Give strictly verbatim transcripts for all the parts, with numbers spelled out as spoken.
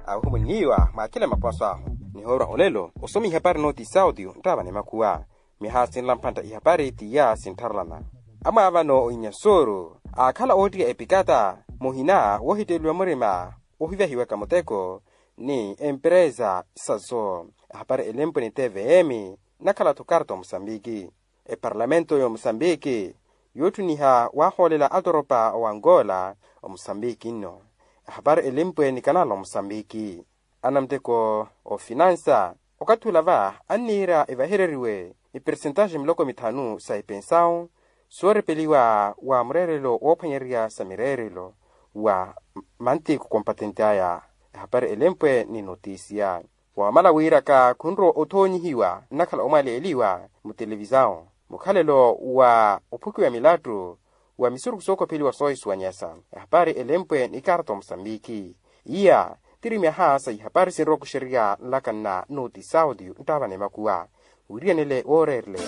Ahuhumwinniwa mwakhile maposo ahu. Nihoorwa olelo osoma ihapari nooti saudio nttaavana emakhuwa. Mihaha sinla mpantta ihapari tiya sinttharelana. Amwaavano oinyansooru aakhala oottiya epikata muhina woohitteeliwa murima wohivyahiwaka muteko ni empereza sazo. Ehapari elempwe ni tvm. Nakhala-tho karta omusambiki. Eparlamento y'omusambiki yootthuniha waahoolela atoropa owangola omusambiki nno. Ehapari elimpwe ni kanala omusambiki. Anamuteko ofinansa okathi ula va anniira evahereriwe epersentaxe miloko mithanu sa epensawu soorepeliwa wa mureerelo woophwanyererya sa mireerelo wa mantiku kompatenti aya. Ehapari elimpwe ni notisiya. Wamala wiiraka khunrowa othoonyihiwa nnakhala omwaleeliwa mutelevisawu mukhalelo wa ophukiwa milattu wa misuruku sookopheliwa soohisuwanyesa. Ehapari elempwe ni karta omusambiki. Iya tiri myaha sa ihapari sinrowa kuxererya nlaka nna noti saudio nttaavana emakuwa. Wiriyanele wooreereleya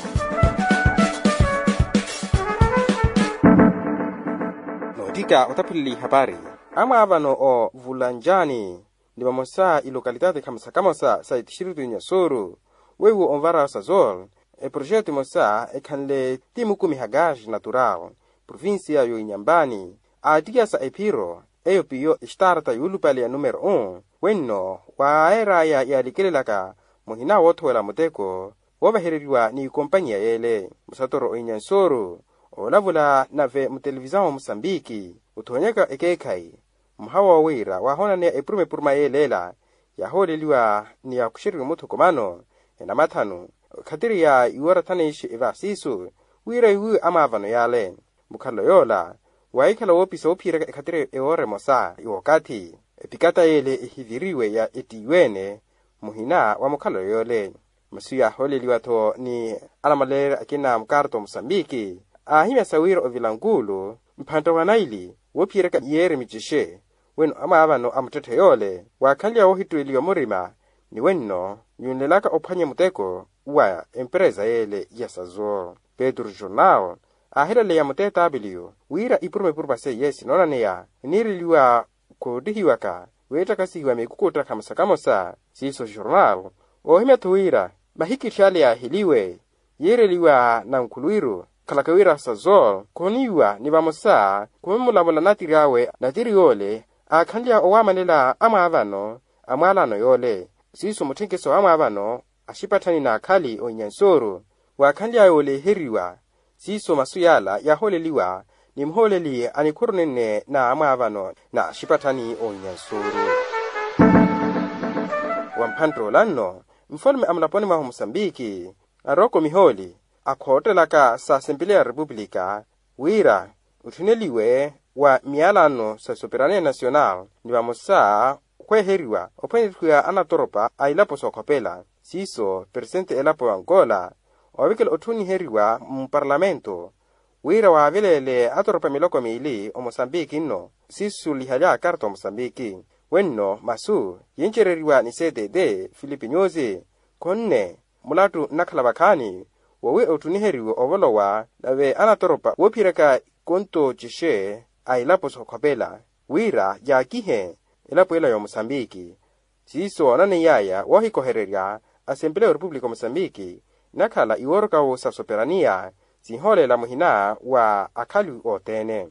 noottika otaphulile ihapari. Amwaavano o vulanjani ni vamosa ilokalitati khamosa-khamosa sa etistritu inyasuru weiwo onvara sazol eproxeto emosa ekhanle ti mukumiha gaz natural provincia y'oinyambani aattiyasa ephiro eyo piyo estarta yuulupale ya numero un wenno waaheraya yaalikelelaka muhina woothowela muteko woovahereriwa ni ikompanyiya yeele musatoro oinyansuru oolavula nave mutelevisawu wa musambiki othoonyaka ekeekhayi. Mwaha woowiira waahoonaneya epuruma-epuruma yeeleela yaahooleliwa ni yaakuxeriwe muthukumano enamathanu ekhatiri ya iwoora thaneixe evasiisu wira iwiwe amwaavano yaale. Mukhalelo yoola waahikhala woopisa woophiyeraka ekhatiri ewoora emosa wookathi epikata yeele ehiviriwe ya ettiiwe-ene muhina wa mukhalelo yoole. Masu yaahooleliwa-tho ni anamaleerya akina mukarta omusambiki aahimyasa wira ovilankuulu mphantta wa naili woophiyeryaka miyeeri micexe weno amwaavano a muttetthe yoole waakhanly'awe woohittuweliwa murima ni wenno nyunlelaka ophwanya muteko wa empereza yeele ya sazo. Petru jornal aahilaleya mutetaapiliyo wira ipuruma-ipuruma seiye sinoonaneya eniireliwa koottihiwaka weettakasihiwa miikukuutta khamosa-khamosa siiso jornal oohimya-tho wira mahikitthi ale yaaheliwe yiireliwa nankhuluwiru khalaka wira sazol khoniiwa ni vamosa khumulamula natiri awe natiri yoole aakhanly'awe owaamanela amwaavano a mwaalano yoole siiso mutthenkeso wa amwaavano axipatthani n'akhali oinyansooru waakhanly'awe oleeheriwa. Siiso masu yaala yaahooleliwa ni muhooleli a nikhuru nenne na amwaavano na axipatthani oinyansooru. Wa mphantta ola nno nfalume a mulaponi mwahu musambiki arooko mihooli akhoottelaka sa asempeleya ya repupulika wira otthuneliwe wa miyalano sa soperania nasional ni vamosa okhweeheriwa ophwanyeryiwa anatoropa a ilapo sookhopela siiso peresente elapo ya angola oovekela otthuniheriwa muparlamento wira waaveleele atoropa miloko miili omosambiki nno siisulihali akarta omosambiki wenno masu yincereriwa ni cdd filipe nyusi khonne mulattu nnakhala vakhaani wowi ottuniheriwe ovolowa nave anatoropa woophiyeryaka konto cexe a ilapo sookhopela wira yaakihe elapo ela y'omosambiki siiso oonaney'aya woohikohererya asempeleya orepupulika omosambiki nnakhala iwoorokawo sa soperaniya sinhoolela muhina wa akhali othene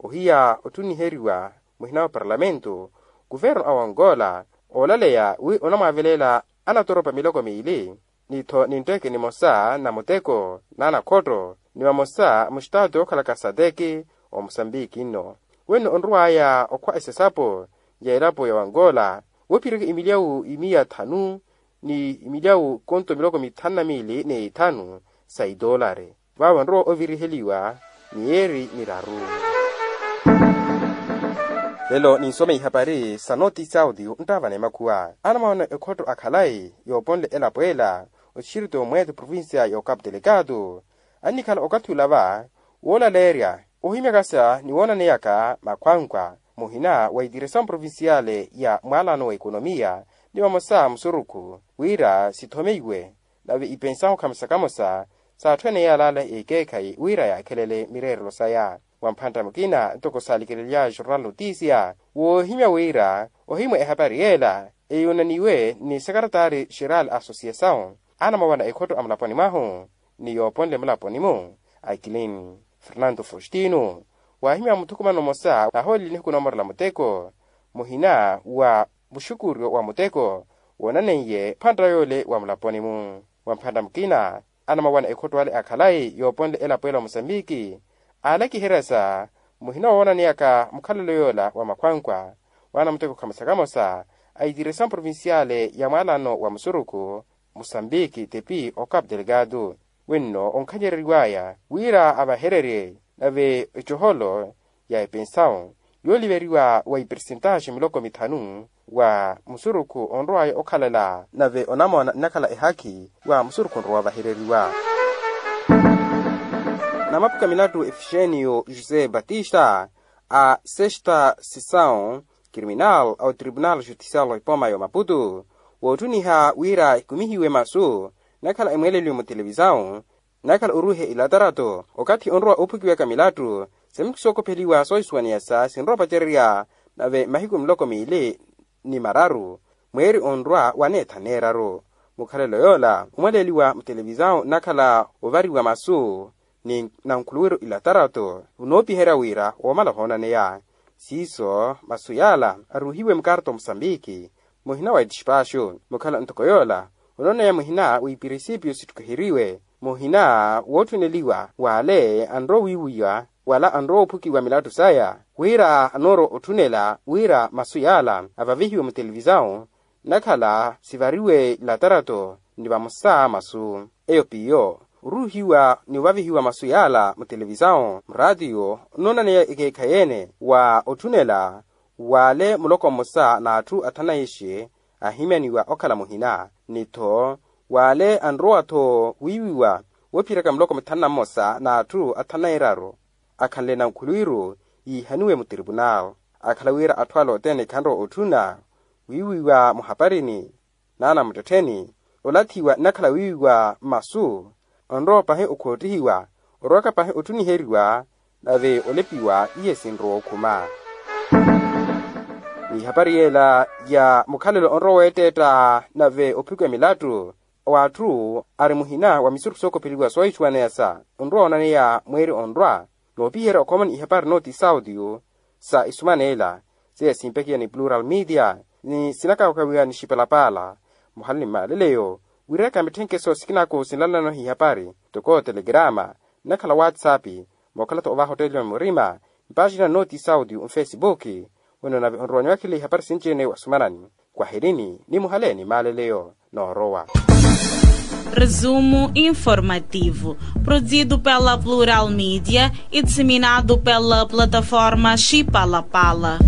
ohiya ottuniheriwa muhina wa parlamento kuverno a wangola oolaleya wi onamwaaveleela anatoropa miloko miili ni-tho ni ntteke nimosa na muteko na anakhotto ni vamosa mustaati ookhalaka sateki omusambiki nno wenno onrow'aya okhwa esesapo ya elapo ya wangola woophireke imilyawu imiya thanu ni imilyawu konto miloko mithanu na miili ni ithanu sa itoolari vaavo onrowa oviriheliwa miyeeri miraru. Lelo ninsome ihapari sa noti saudio nttaavana emakhuwa anamwaana ekhotto a khalayi yooponle elapo ela oxirito mweeto provincia y'okapu telekatu annikhala okathi ula va woolaleerya ohimyakasa ni woonaneyaka makhwankwa muhina wa itiresamu provinciale ya mwaalano wa ekonomiya ni vamosa musurukhu wira sithomeiwe nave ipensahu khamosa khamosa s'atthu ene yaalaala ekeekhayi wira yaakhelele mireerelo saya Wa mphantta mukina ntoko saalikelelya jornal notisia woohimya wira ohimwa ehapari yeela eyuunaniwe ni sekaretari jeral associasaw anamawana ekhotto a mulaponi mwahu ni yooponle mulaponi-mu akilini fernanto faustino waahimya muthukumano mmosa nahooleli nihiku noomorela muteko muhina wa muxukuryo wa muteko woonaneiye mphantta yoole wa mulaponi-mu wa mphantta mukina anamawana ekhotto ale akhalayi yooponle elapo ela wa musambiki aalakiherya sa muhina woonaneyaka mukhalelo yoola wa makhwankwa waana muteko khamosa khamosa a itiresa mprovinciale ya mwaalano wa musurukhu musambiki tepi o capu delegado wenno onkhanyereriwaya wira avahererye nave ecoholo ya epensawu yooliveriwa wa ipersentaxi miloko mithanu wa musurukhu onrowaya okhalala nave onamoona nnakhala ehakhi wa musurukhu onrowa ovahereriwa. Namaphuka milattu efixeniyo josé batista a sexta sessão criminal a otribunal judicial wa ipoma ya omaputu wootthuniha wira ikumihiwe masu nnakhala emweeleliwe mutelevisawu nnakhala oruuhe ilatarato okathi onrowa oophukiwaka milattu semiku sookopheliwa soohisuwaneyasa sinrowa opacererya nave mahiku miloko miili ni mararu mweeri onrwa waneetha neeraru mukhalelo yoola omwaleeliwa mutelevisawu nnakhala ovariwa masu ni nankhuluwiru ilatarato onoopiherya wira woomala ohoonaneya siiso masu yaala aruuhiwe mukarto musambiki muhina wa etispaxu mukhala ntoko yoola onooneya muhina wa ipirisipio sittukhiheriwe muhina wootthuneliwa w'ale anrowa owiiwiwa wala anrowa oophukiwa milattu saya wira anoorowa otthunela wira masu yaala avavihiwe mutelevisawu nnakhala sivariwe ilatarato ni vamosa masu eyo piyo oruuhiwa ni ovavihiwa masu yaala mutelevisawu muraatiyo nnoonaneya ekeekhayi-ene wa otthunela w'ale muloko mmosa n'atthu athanaixi ahimyaniwa okhala muhina ni-tho w'ale anrowa-tho wiiwiwa woophiyeryaka muloko mithanu na mmosa n'atthu athanu na eraru akhanle nankhuluwiru yiihaniwe mutripunal akhala wira atthu ale othene khanrowa otthuna wiiwiwa muhaparini n'anamuttettheni olathiwa nnakhala wiiwiwa mmasu onrowa pahi okhoottihiwa orowaka pahi otthuniheriwa nave olepiwa iye sinrowa okhuma n'ihapari yeela ya mukhalelo onrowa weetteetta nave ophukiwa milattu w'atthu ari muhina wa misurukhu sookopheliwa soohisuwaneyasa onrowa woonaneya mweeri onrwa noopiherya okhomani ihapari nooti saudio sa isumana ela seiya simpekiya ni plural media ni sinakawakawiwa ni xipalapaala muhali ni maaleleyo wiiraka mitthenkeso sikinako sinlanlano hihapari toko telegrama nnakhala whatsapp mookhala-tho ovaha otteeliwa murima mpaxina nooti saudio nfesibuki wino nave onrowanyiwakile ihapari sinci-ene wasumanani kwahirini ni muhale ni maaleleyo noorowa. Resumo informativo produzido pela plural media e disseminado pela plataforma xipalapala.